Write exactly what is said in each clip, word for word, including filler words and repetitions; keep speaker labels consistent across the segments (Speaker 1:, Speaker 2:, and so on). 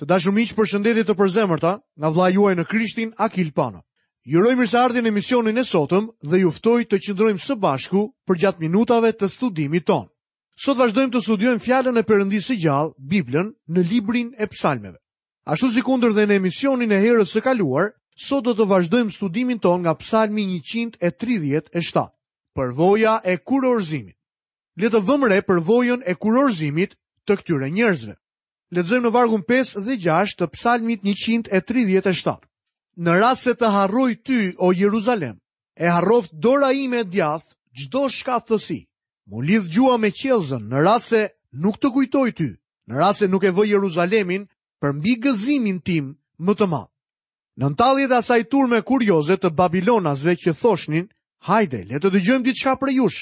Speaker 1: Të dashur miq, përshëndetje të përzemërta nga vëllai juaj në Krishtin, Akil Pano. Ju uroj mirëseardhjen në emisionin e sotëm dhe ju ftoj të qëndrojmë së bashku përgjatë minutave të studimit tonë. Sot vazhdojmë të studiojmë fjalën e Perëndisë së gjallë, Biblën, në librin e Psalmeve. Ashtu sikundër dhe në emisionin e herës së kaluar, sot do të vazhdojmë studimin tonë nga Psalmi njëqind e tridhjetë e shtatë. Përvoja e kurorëzimit. Le të vëmë re përvojën e kurorëzimit të këtyre njerëzve. Lexojmë në vargun pesë dhe gjashtë të Psalmit njëqind e tridhjetë e shtatë. Në rast se të harroj ty, o Jeruzalem, e harroft dora ime e djathtë çdo shkathtësi. Mu lidh gjua me qiellzën në rast se nuk të kujtoj ty, në rast se nuk e vë Jeruzalemin për mbi gëzimin tim më të madh. Nën talljet e asaj turme kurioze të Babilonasve që thoshnin, hajde, le të dëgjojmë diçka prej jush.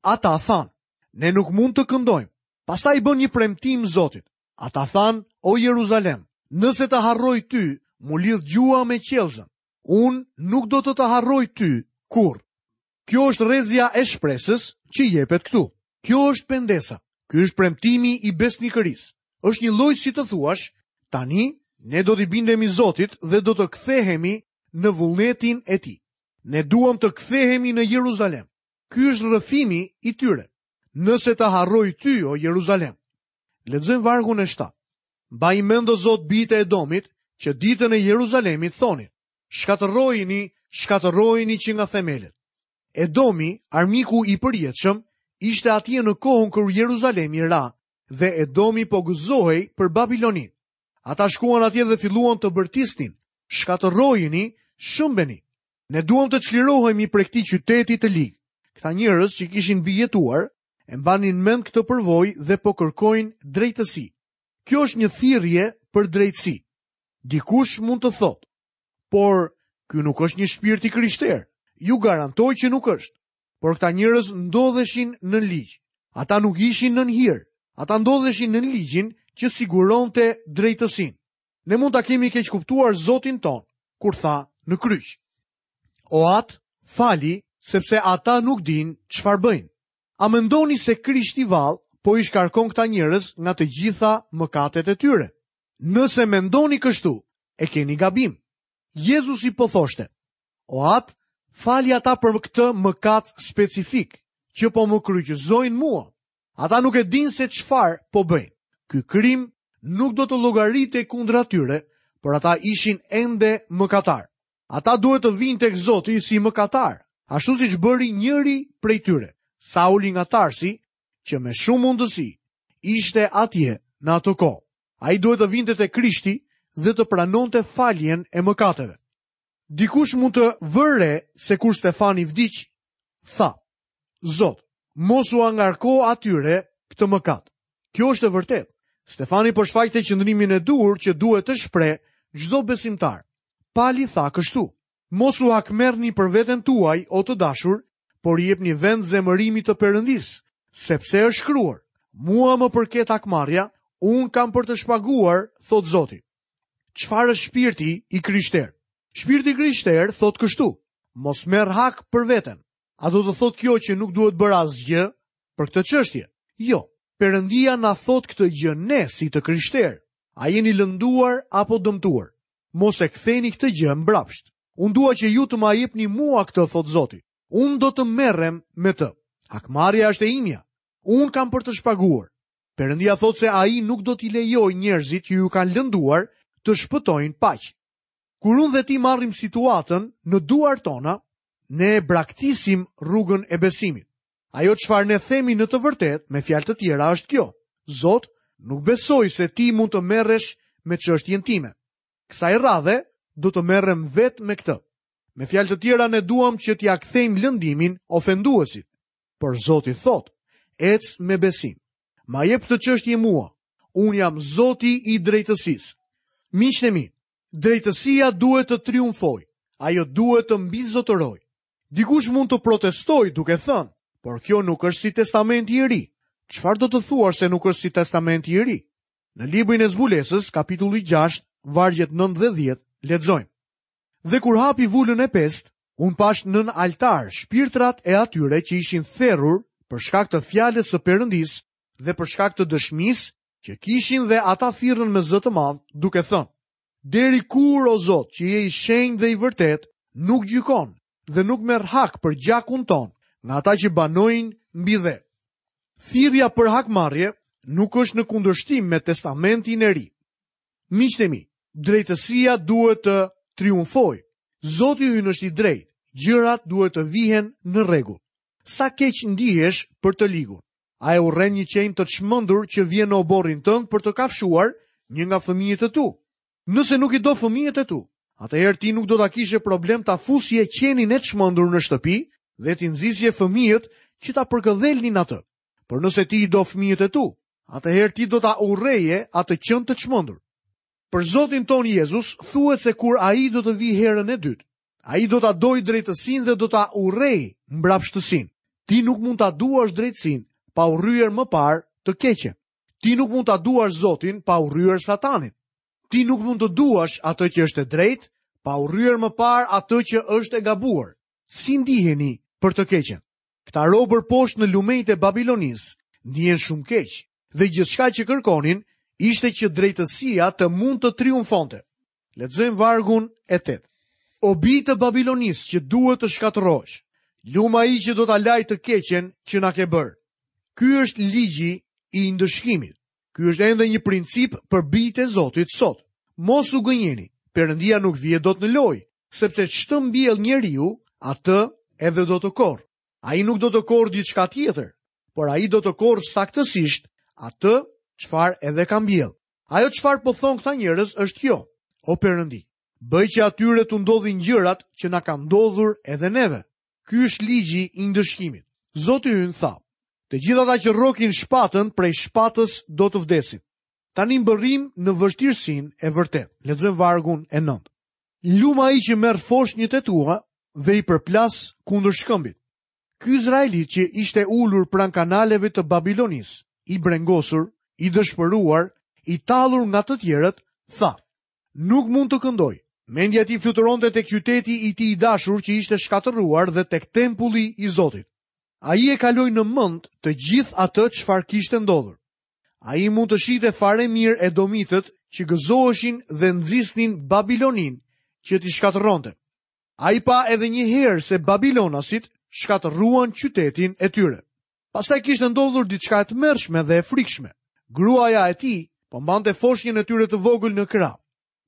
Speaker 1: Ata thanë, ne nuk mund të këndojmë. Pastaj i bën një premtim Zotit. Ata thanë, o Jeruzalem, nëse të harroj ty, mu lidh gjua me qiellzën. Unë nuk do të të harroj ty kurrë. Kjo është rrezja e shpresës që jepet këtu. Kjo është pendesa. Ky është premtimi i besnikërisë. Është një lloj si të thuash, tani ne do t'i bindemi Zotit dhe do të kthehemi në vullnetin e tij. Ne duam të kthehemi në Jeruzalem. Ky është rrëfimi i tyre. Nëse të harroj ty, o Jeruzalem. Lexojmë vargun e shtatë. Mbaj mend, o Zot, bijtë e Edomit, që ditën e Jeruzalemit thonin, shkatërrojini, shkatërrojini që nga themelet. Edomi, armiku i përjetshëm, ishte atje në kohën kur Jeruzalemi ra dhe Edomi po gëzohej për Babilonin. Ata shkuan atje dhe filluan të bërtisnin, shkatërrojini, shëmbeni. Ne duam të çlirohemi prej këtij qyteti të lig. Këta njerëz që kishin mbijetuar e mbanin mend këtë përvojë dhe po kërkojnë drejtësi. Kjo është një thirrje për drejtësi. Dikush mund të thotë, por ky nuk është një shpirt i krishterë. Ju garantoj që nuk është. Por këta njerëz ndodheshin në ligj. Ata nuk ishin nën hir. Ata ndodheshin në ligjin që siguronte drejtësinë. Ne mund ta kemi keqkuptuar Zotin ton kur tha në kryq: O At, fali, sepse ata nuk dinë çfarë bëjnë. A mendoni se Krishti vallë po i shkarkon këta njerëz nga të gjitha mëkatet e tyre? Nëse mendoni kështu, e keni gabim. Jezusi po thoshte: O At, fali ata për këtë mëkat specifik që po më kryqëzojnë mua. Ata nuk e dinë se çfarë po bëjnë. Ky krim nuk do të llogaritej kundra tyre, por ata ishin ende mëkatar. Ata duhet të vinë tek Zoti si mëkatar, ashtu siç bëri njëri prej tyre, Sauli nga Tarsi, që me shumë mundësi ishte atje në atë kohë. Ai duhet të vinte te Krishti dhe të pranonte faljen e mëkateve. Dikush mund të vërë re se kur Stefani vdiq, tha: Zot, mos u angarko atyre këtë mëkat. Kjo është e vërtetë. Stefani po shfaqte qëndrimin e duhur që duhet të shpreh çdo besimtar. Pali tha kështu: Mos u hakmerrni për veten tuaj, o të dashur, por i jepni vend zemërimit të Perëndisë, sepse është shkruar: Mua më përket hakmarrja, unë kam për të shpaguar, thot Zoti. Çfarë është shpirti i krishterë? Shpirti i krishterë thot kështu: Mos merr hak për veten. A do të thot kjo që nuk duhet bërë asgjë për këtë çështje? Jo, Perëndia na thot këtë gjë ne si të krishterë. A jeni lënduar apo dëmtuar? Mos e ktheni këtë gjë mbrapsht. Unë dua që ju të ma jepni mua këtë, thot Zoti. Unë do të merrem me të. Hakmarrja është e imja. Unë kam për të shpaguar. Perëndia thotë se ai nuk do t'i lejojë njerëzit që ju kanë lënduar të shpëtojnë paq. Kur unë dhe ti marrim situatën në duart tona, ne braktisim rrugën e besimit. Ajo çfarë ne themi në të vërtetë, me fjalë të tjera, është kjo: Zot, nuk besoj se ti mund të merresh me çështjen time. Kësaj radhe do të merrem vetë me këtë. Me fjalë të tjera, ne duam që t'ia kthejmë lëndimin ofenduesit. Por Zoti thotë: ec me besim. Ma jep këtë çështje mua. Unë jam Zoti i drejtësisë. Miqtë e mi, drejtësia duhet të triumfojë. Ajo duhet të mbizotërojë. Dikush mund të protestojë duke thënë, por kjo nuk është si testamenti i ri. Çfarë do të thuash se nuk është si testamenti i ri? Në librin e Zbulesës, kapitulli gjashtë, vargjet nëntë dhe dhjetë, lexojmë: Dhe kur hapi vulën e pestë, unë pash nën altar shpirtrat e atyre që ishin therrur për shkak të fjalës së Perëndisë dhe për shkak të dëshmisë që kishin dhe ata thirrën me zë të madh, duke thënë: Deri kur, o Zot, që je i shenjtë dhe i vërtetë, nuk gjykon dhe nuk merr hak për gjakun ton nga ata që banojnë mbi dhe. Thirrja për hakmarrje nuk është në kundërshtim me Testamentin e Ri. Miqtë e mi, drejtësia duhet të triumfojë. Zoti ynë është i drejtë, gjërat duhet të vihen në rregull. Sa keq ndihesh për të ligun? A e urren një qen të çmendur që vjen në oborrin tënd për të kafshuar një nga fëmijët e tu? Nëse nuk i do fëmijët e tu, atëherë ti nuk do ta kishe problem ta fusje qenin e çmendur në shtëpi dhe t'i nxisje fëmijët që ta përkëdhelnin atë. Por nëse ti i do fëmijët e tu, atëherë ti do ta urreje atë qen të çmendur. Për Zotin ton Jezus thuhet se kur ai do të vijë herën e dytë, ai do ta dojë drejtësinë dhe do ta urrejë mbrapshtësinë. Ti nuk mund ta duash drejtësinë pa urryer më parë të keqen. Ti nuk mund ta duash Zotin pa urryer Satanin. Ti nuk mund të duash atë që është e drejtë pa urryer më parë atë që është e gabuar. Si ndiheni për të keqen? Këta robër poshtë në lumenjtë e Babilonisë ndihen shumë keq dhe gjithçka që kërkonin ishte që drejtësia të mund të triumfonte. Lexojmë vargun e tetë. O bij të Babilonisë që duhet të shkatërrohesh, lum ai që do ta lajë të keqen që na ke bërë. Ky është ligji i ndëshkimit. Ky është ende një princip për bijtë e Zotit sot. Mos u gënjeni, Perëndia nuk vije dot në lojë, sepse ç'të mbjell njeriu, atë edhe do të korr. Ai nuk do të korr diçka tjetër, por ai do të korr saktësisht atë çfarë edhe ka mbjell. Ajo çfarë po thon këta njerëz është kjo: O Perëndi, bëj që atyre t'u ndodhin gjërat që na kanë ndodhur edhe neve. Ky është ligji i ndëshkimit. Zoti ynë tha: Të gjithë ata që rrokin shpatën, prej shpatës do të vdesin. Tani mbërrim në vështirësinë e vërtetë. Lexojmë vargun e nëntë. Lum ai që merr foshnjët e tua dhe i përplas kundër shkëmbit. Ky izraelit që ishte ulur pranë kanaleve të Babilonisë, i brengosur, i dëshpëruar, i tallur nga të tjerët, tha: Nuk mund të këndoj. Mendja e tij fluturonte tek qyteti i tij i dashur që ishte shkatërruar dhe tek tempulli i Zotit. Ai e kaloi në mend të gjithë atë çfarë kishte ndodhur. Ai mund të shihte fare mirë edomitët që gëzoheshin dhe nxisnin Babilonin që t'i shkatërronte. Ai pa edhe një herë se Babilonasit shkatërruan qytetin e tyre. Pastaj kishte ndodhur diçka e tmerrshme dhe e frikshme. Gruaja e tij po mbante foshnjën e tyre të vogël në krah.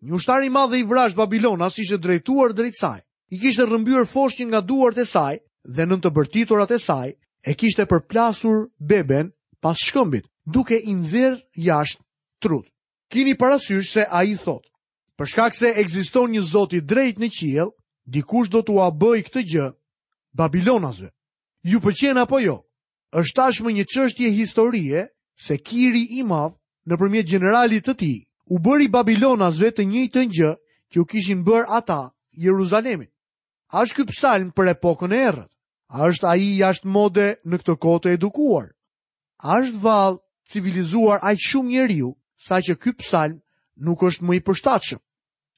Speaker 1: Një ushtar i madh dhe i vrazhd Babilonas ishte drejtuar drejt saj. I kishte rrëmbyer foshnjën nga duart e saj dhe nën të bërtiturat e saj e kishte përplasur beben pas shkëmbit, duke i nxjerr jashtë trut. Kini parasysh se ai thotë: Për shkak se ekziston një Zot i drejtë në qiell, dikush do t'ua bëjë këtë gjë Babilonasve. Ju pëlqen apo jo? Është tashmë një çështje historie se Kiri i madh, nëpërmjet gjeneralit të tij, u bëri Babilonasve të njëjtën gjë që u kishin bërë ata Jeruzalemit. A është ky psalm për epokën e errët? A është ai jashtë mode në këtë kohë të edukuar? A është vallë civilizuar aq shumë njeriu saqë ky psalm nuk është më i përshtatshëm?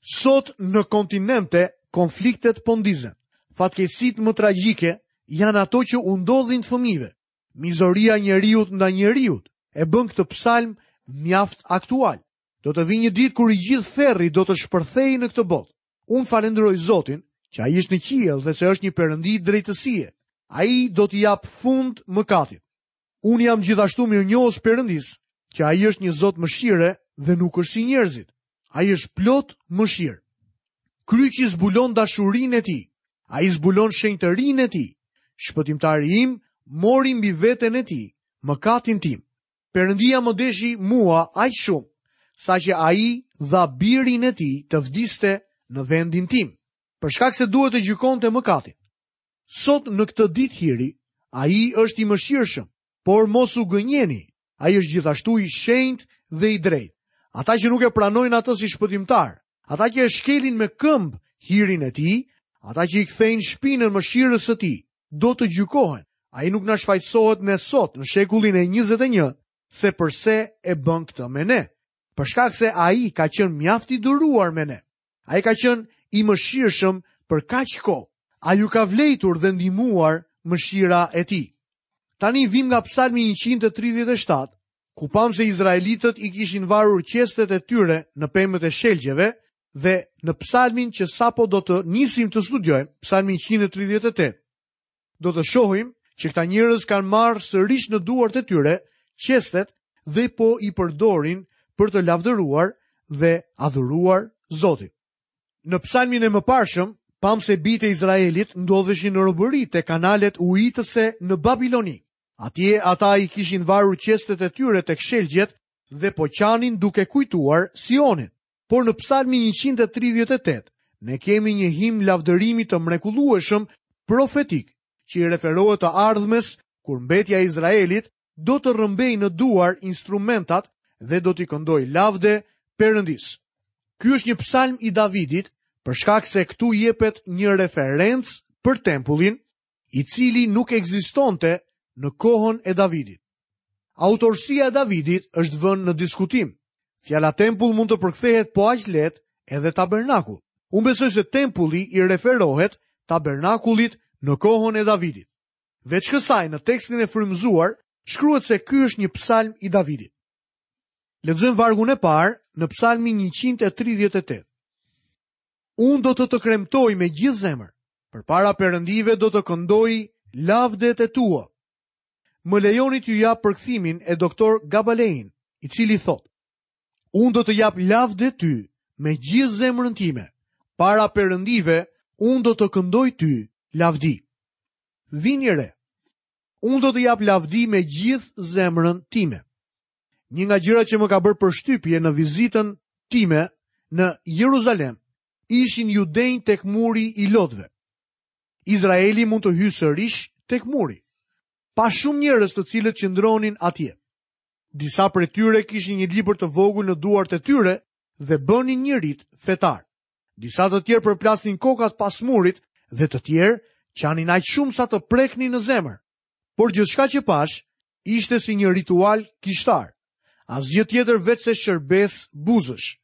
Speaker 1: Sot në kontinente konfliktet po ndizen. Fatkeqësitë më tragjike janë ato që u ndodhin fëmijëve. Mizoria njeriut ndaj njeriut e bën këtë psalm mjaft aktual. Do të vijë një ditë kur i gjithë ferri do të shpërthejë në këtë botë. Unë falenderoj Zotin që ai është në qiell dhe se është një perëndi drejtësie. Ai do t'i jap fund mëkatit. Unë jam gjithashtu mirënjohës Perëndis që ai është një Zot mëshire dhe nuk është si njerëzit. Ai është plot mëshirë. Kryqi zbulon dashurinë e tij. Ai zbulon shenjtërinë e tij. Shpëtimtari im mori mbi veten e tij mëkatin tim. Perëndia më deshi mua aq shumë, saqë ai dha birin e tij të vdiste në vendin tim, për shkak se duhet të gjykonte mëkatin. Sot në këtë ditë hiri, ai është i mëshirshëm, por mos u gënjeni, ai është gjithashtu i shenjtë dhe i drejtë. Ata që nuk e pranojnë atë si shpëtimtar, ata që e shkelin me këmbë hirin e tij, ata që i kthejnë shpinën mëshirës së tij, do të gjykohen. Ai nuk na shfajësohet ne sot në shekullin e njëzet e një se përse e bën këtë me ne. Për shkak se ai ka qenë mjaft i duruar me ne. Ai ka qenë i mëshirshëm për kaq kohë. Ai ju ka vlejtur dhe ndihmuar mëshira e tij. Tani vim nga Psalmi njëqind e tridhjetë e shtatë ku pamë se izraelitët i kishin varur qestet e tyre në pemët e shelgjeve dhe në psalmin që sapo do të nisim të studiojmë, psalmin njëqind e tridhjetë e tetë, do të shohim që këta njerëz kanë marrë sërish në duart e tyre qestet dhe po i përdorin për të lavdëruar dhe adhuruar Zotin. Në psalmin e mëparshëm, pamë se bijtë e Izraelit ndodheshin në robëri te kanalet ujitëse në Babiloni. Atje ata i kishin varur qestet e tyre tek shelgjet dhe po qanin duke kujtuar Sionin. Por në psalmin njëqind e tridhjetë e tetë, ne kemi një himn lavdërimi të mrekullueshëm profetik, që i referohet të ardhmes kur mbetja e Izraelit do të rrëmbejë në duar instrumentat dhe do t'i këndojë lavde Perëndis. Ky është një psalm i Davidit, për shkak se këtu jepet një referencë për tempullin, i cili nuk ekzistonte në kohën e Davidit. Autorësia e Davidit është vënë në diskutim. Fjala tempull mund të përkthehet po aq lehtë edhe tabernakull. Unë besoj se tempulli i referohet tabernakullit në kohën e Davidit. Veç kësaj, në tekstin e frymëzuar shkruhet se ky është një psalm i Davidit. Lexojmë vargun e parë në psalmin njëqind e tridhjetë e tetë. Unë do të të kremtoj me gjithë zemër, përpara perëndive do të këndoj lavdet e tua. Më lejoni t'ju jap përkthimin e doktor Gabalein, i cili thotë: Unë do të jap lavde ty me gjithë zemrën time, para perëndive unë do të këndoj ty lavdi. Vini re. Unë do të jap lavdi me gjithë zemrën time. Një nga gjërat që më ka bërë përshtypje në vizitën time në Jeruzalem ishin judenj tek muri i lotëve. Izraeli mund të hyjë sërish tek muri. Pa shumë njerëz të cilët qëndronin atje. Disa prej tyre kishin një libër të vogël në duart e tyre dhe bënin një rit fetar. Disa të tjerë përplasnin kokat pas murit dhe të tjerë qanin aq shumë sa të preknin në zemër. Por gjithçka që pash ishte si një ritual kishtar. Asgjë tjetër veç se shërbes buzësh.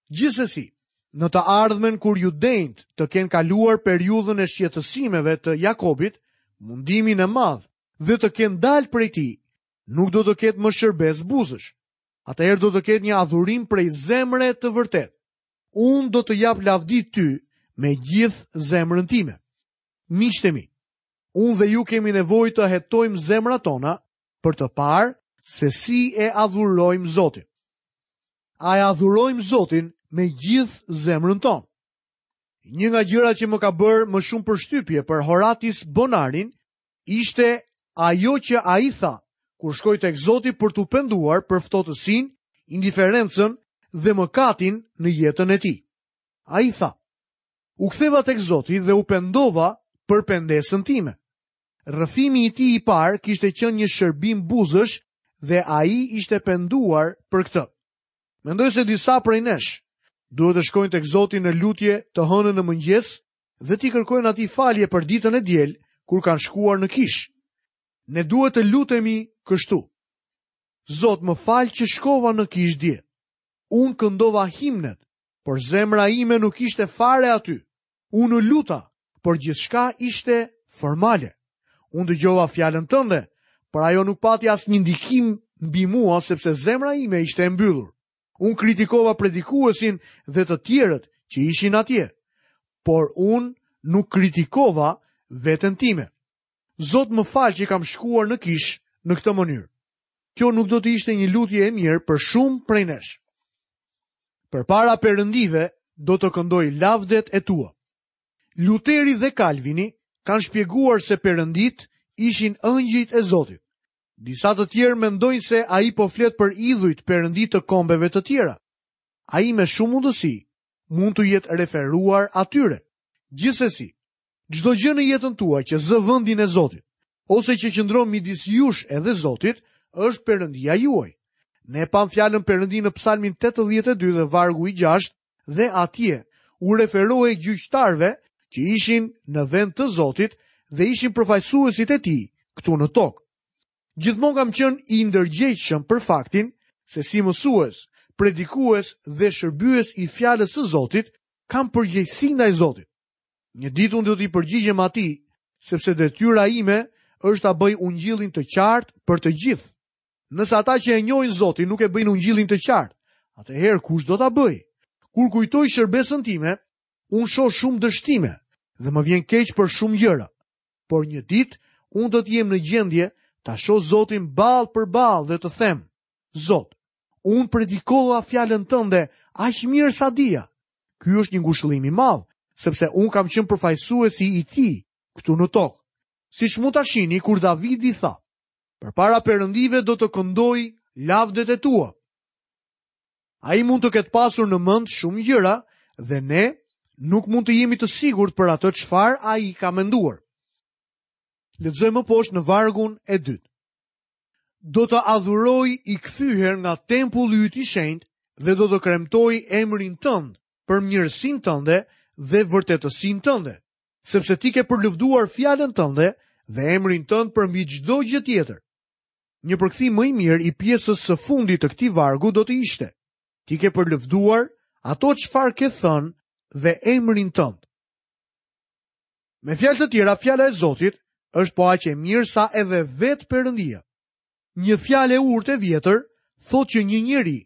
Speaker 1: Gjithsesi, në të ardhmen kur judenjt të kenë kaluar periudhën e shqetësimeve të Jakobit, mundimin e madh dhe të kenë dalë prej tij, nuk do të ketë më shërbes buzësh. Atëherë do të ketë një adhurim prej zemre të vërtetë. Unë do të jap lavdi ty me gjithë zemrën time. Miqtë e mi, unë dhe ju kemi nevojë të hetojmë zemrat tona për të parë se si e adhurojmë Zotin. A e adhurojmë Zotin me gjithë zemrën tonë? Një nga gjërat që më ka bërë më shumë përshtypje për Horatis Bonarin ishte ajo që ai tha kur shkoi tek Zoti për t'u penduar për ftohtësinë, indiferencën dhe mëkatin në jetën e tij. Ai tha: U ktheva tek Zoti dhe u pendova për pendesën time. Rrëfimi i tij i parë kishte qenë një shërbim buzësh dhe ai ishte penduar për këtë. Mendoj se disa prej nesh duhet të shkojnë tek Zoti në lutje të hënën në mëngjes dhe t'i kërkojnë atij falje për ditën e diel kur kanë shkuar në kishë. Ne duhet të lutemi kështu: Zot, më fal që shkova në kishë dje. Unë këndova himnet, por zemra ime nuk ishte fare aty. Unë u luta, por gjithçka ishte formale. Unë dëgjova fjalën tënde, por ajo nuk pati asnjë ndikim mbi mua sepse zemra ime ishte e mbyllur. Unë kritikova predikuesin dhe të tjerët që ishin atje, por unë nuk kritikova veten time. Zot, më fal që kam shkuar në kishë në këtë mënyrë. Kjo nuk do të ishte një lutje e mirë për shumë prej nesh. Përpara perëndive do të këndoj lavdet e tua. Luteri dhe Kalvini kanë shpjeguar se perëndit ishin ëngjëjt e Zotit. Disa të tjerë mendojnë se ai po flet për idhujt perëndi të kombeve të tjera. Ai me shumë mundësi mund të jetë referuar atyre. Gjithsesi, çdo gjë në jetën tuaj që zë vendin e Zotit, ose që qëndron midis jush edhe Zotit, është perëndia juaj. Ne pam fjalën perëndi në Psalmin tetëdhjetë e dy dhe vargu i gjashtë, dhe atje u referohej gjyqtarëve që ishin në vend të Zotit dhe ishin përfaqësuesit e tij këtu në tokë. Gjithmonë kam qenë i ndërgjegjshëm për faktin se si mësues, predikues dhe shërbyes i fjalës së Zotit, kam përgjegjësi ndaj Zotit. Një ditë unë do t'i përgjigjem atij, sepse detyra ime është ta bëj ungjillin të qartë për të gjithë. Nëse ata që e njohin Zotin nuk e bëjnë ungjillin të qartë, atëherë kush do ta bëjë? Kur kujtoj shërbesën time, unë shoh shumë dështime dhe më vjen keq për shumë gjëra. Por një ditë unë do të jem në gjendje ta shoh Zotin ballë për ballë dhe të them: Zot, unë predikova fjalën tënde aq mirë sa dija. Ky është një ngushëllim i madh, sepse unë kam qenë përfaqësuesi i tij këtu në tokë. Siç mund ta shihni kur Davidi tha: Përpara perëndive do të këndoj lavdet e tua. Ai mund të ketë pasur në mend shumë gjëra dhe ne nuk mund të jemi të sigurt për atë çfarë ai ka menduar. Lexojmë më poshtë në vargun e dytë. Do të adhuroj i kthyer nga tempulli yt i shenjtë dhe do të kremtoj emrin tënd për mirësinë tënde dhe vërtetësinë tënde, sepse ti ke përlëvduar fjalën tënde dhe emrin tënd përmbi çdo gjë tjetër. Një përkthim më i mirë i pjesës së fundit të këtij vargu do të ishte: Ti ke përlëvduar ato çfarë ke thënë dhe emrin tënd. Me fjalë të tjera, fjala e Zotit është po aq e mirë sa edhe vetë Perëndia. Një fjalë e urtë e vjetër thotë që një njeri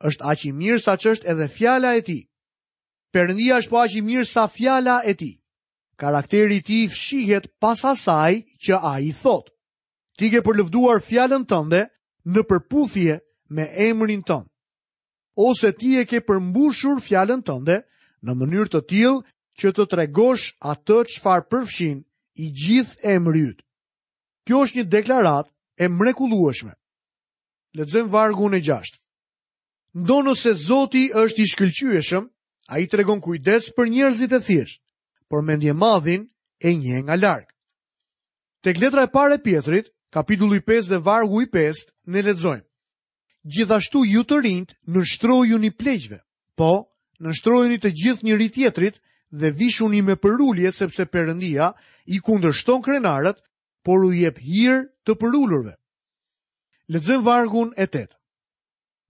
Speaker 1: është aq i mirë sa ç'është edhe fjala e tij. Perëndia është po aq i mirë sa fjala e tij. Karakteri i tij fshihet pas asaj që ai thotë. Ti ke përlëvduar fjalën tënde në përputhje me emrin tënd. Ose ti e ke përmbushur fjalën tënde në mënyrë të tillë që të tregosh atë çfarë përfshin i gjithë emri yt. Kjo është një deklaratë e mrekullueshme. Lexojmë vargun e gjashtë. Ndonëse Zoti është i shkëlqyeshëm, ai tregon kujdes për njerëzit e thjeshtë, por mendjemadhin e njeh nga larg. Tek letra e parë e Pietrit, kapitulli pesë dhe vargu i pestë, ne lexojmë: Gjithashtu ju të rinjt, nënshtrojuni pleqve. Po, nënshtrojuni të gjithë njëri tjetrit dhe vishuni me përulje, sepse Perëndia i kundërshton krenarët, por u jep hir të përulurve. Lexojmë vargun e tetë.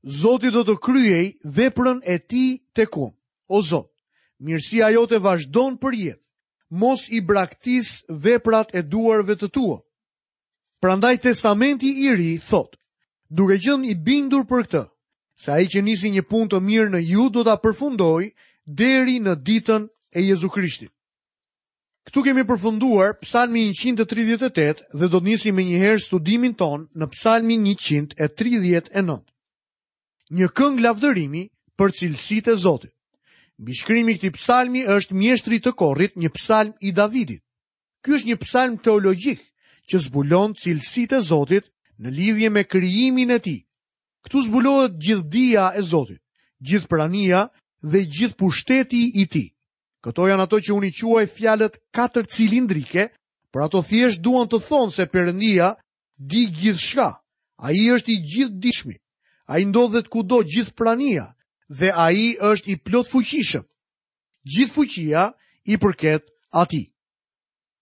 Speaker 1: Zoti do të kryej veprën e tij tek unë. O Zot, mirësia jote vazhdon për jetë. Mos i braktis veprat e duarve të tua. Prandaj Testamenti i Ri thotë: duke qenë i bindur për këtë, se ai që nisi një punë të mirë në ju do ta përfundojë deri në ditën e Jezu Krishtit. Këtu kemi përfunduar Psalmin njëqind e tridhjetë e tetë dhe do të nisim më njëherë studimin ton në Psalmin njëqind e tridhjetë e nëntë. Një këngë lavdërimi për cilësitë e Zotit. Mbishkrimi i këtij psalmi është mjeshtri të korrit, një psalm i Davidit. Ky është një psalm teologjik që zbulon cilësitë e Zotit në lidhje me krijimin e tij. Këtu zbulohet gjithdia e Zotit, gjithë prania dhe gjithë pushteti i tij. Këto janë ato që unë i quaj fjalët katër cilindrike, por ato thjesht duan të thonë se Perëndia di gjithçka. Ai është i gjithdijshmi. Ai ndodhet kudo, gjithë prania, dhe ai është i plotfuqishëm. Gjithë fuqia i përket atij.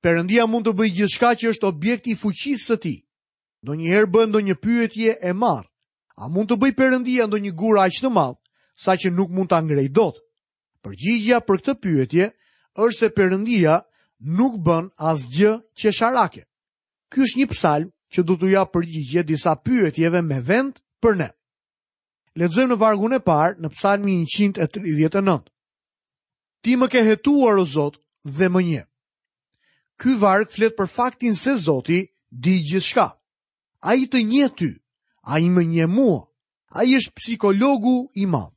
Speaker 1: Perëndia mund të bëjë gjithçka që është objekt i fuqisë së tij. Ndonjëherë bën ndonjë pyetje e marrë. A mund të bëjë Perëndia ndonjë gur aq të madh, saqë nuk mund ta ngrejë dot? Përgjigjja për këtë pyetje është se Perëndia nuk bën asgjë qesharake. Ky është një psalm që do t'u japë përgjigje disa pyetjeve me vend për ne. Lexojmë në vargun e parë në Psalmin njëqind e tridhjetë e nëntë. Ti më ke hetuar, o Zot, dhe më njeh. Ky varg flet për faktin se Zoti di gjithçka. Ai të njeh ty, ai më njeh mua. Ai është psikologu i madh.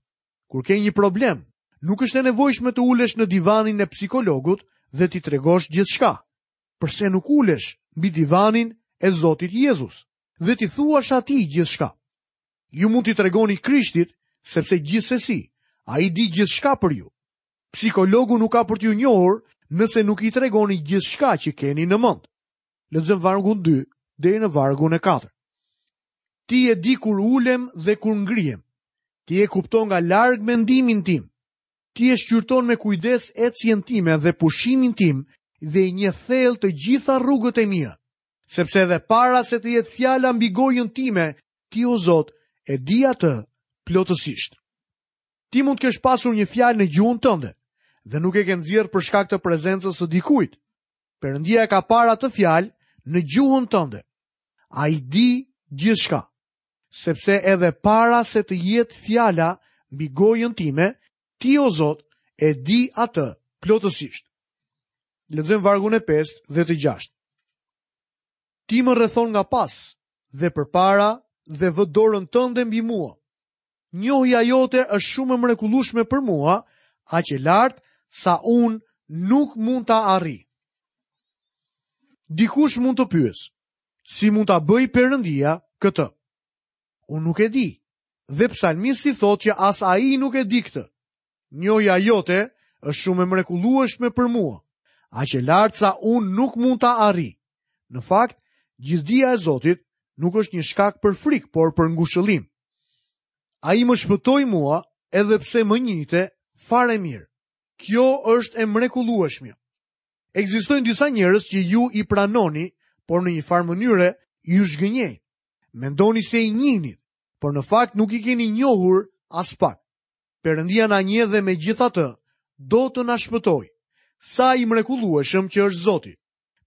Speaker 1: Kur ke një problem, nuk është e nevojshme të ulesh në divanin e psikologut dhe t'i tregosh gjithçka. Përse nuk ulesh mbi divanin e Zotit Jezus dhe t'i thuash atij gjithçka? Ju mund t'i tregoni Krishtit, sepse gjithsesi ai di gjithçka për ju. Psikologu nuk ka për t'ju njohur nëse nuk i tregoni gjithçka që keni në mend. Lexojmë vargun dy deri në vargun e katër. Ti e di kur ulem dhe kur ngrihem. Ti e kupton nga larg mendimin tim. Ti e shqyrton me kujdes ecjen time dhe pushimin tim dhe i njeh thellë të gjitha rrugët e mia, sepse edhe para se të jetë fjala mbi gojën time, ti o Zot e di atë plotësisht. Ti mund të kesh pasur një fjalë në gjuhën tënde dhe nuk e ke nxjerrë për shkak të prezencës së dikujt. Perëndia e ka parë atë fjalë në gjuhën tënde. Ai di gjithçka. Sepse edhe para se të jetë fjala mbi gojën time, ti o Zot e di atë plotësisht. Lexojmë vargun e pestë dhe të gjashtë. Ti më rrethon nga pas dhe përpara dhe vë dorën tënde mbi mua. Njohja jote është shumë e mrekullueshme për mua, aq e lartë sa unë nuk mund ta arrij. Dikush mund të pyesë, si mund ta bëj Perëndia këtë? Unë nuk e di. Dhe psalmisti thotë që as ai nuk e di këtë. Njohja jote është shumë e mrekullueshme për mua, aq e lartë sa unë nuk mund ta arrij. Në fakt, gjithdija e Zotit nuk është një shkak për frikë, por për ngushëllim. Ai më shpëtoi mua edhe pse më njihte fare mirë. Kjo është e mrekullueshme. Ekzistojnë disa njerëz që ju i pranoni, por në një farë mënyre ju zhgënjejnë. Mendoni se i njihni, por në fakt nuk i keni njohur as pak. Perëndia na njeh dhe megjithatë do të na shpëtojë. Sa i mrekullueshëm që është Zoti.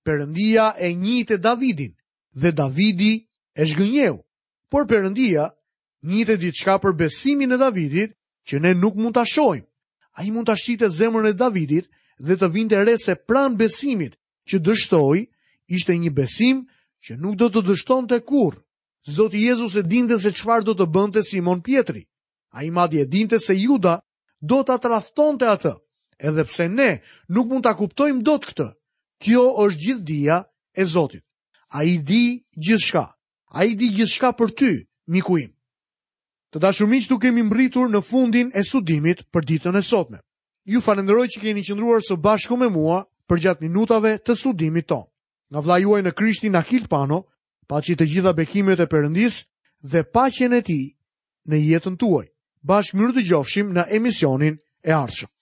Speaker 1: Perëndia e njihte Davidin dhe Davidi e zhgënjeu. Por Perëndia njihte diçka për besimin e Davidit që ne nuk mund ta shohim. Ai mund ta shihte zemrën e Davidit dhe të vinte re se pranë besimit që dështoi ishte një besim që nuk do të dështonte kurrë. Zoti Jezus e dinte se çfarë do të bënte Simon Pjetri. Ai madje e dinte se Juda do ta tradhtonte atë, edhe pse ne nuk mund ta kuptojmë dot këtë. Kjo është gjithdija e Zotit. Ai di gjithçka. Ai di gjithçka për ty, miku im. Të dashur miq, tu kemi mbërritur në fundin e studimit për ditën e sotme. Ju falenderoj që keni qëndruar së bashku me mua përgjatë minutave të studimit tonë. Nga vëllai juaj në Krishtin Akil Pano, paçi të gjitha bekimet e Perëndisë dhe paqen e tij në jetën tuaj. Bashkë mirë dëgjofshim në emisionin e ardhshëm.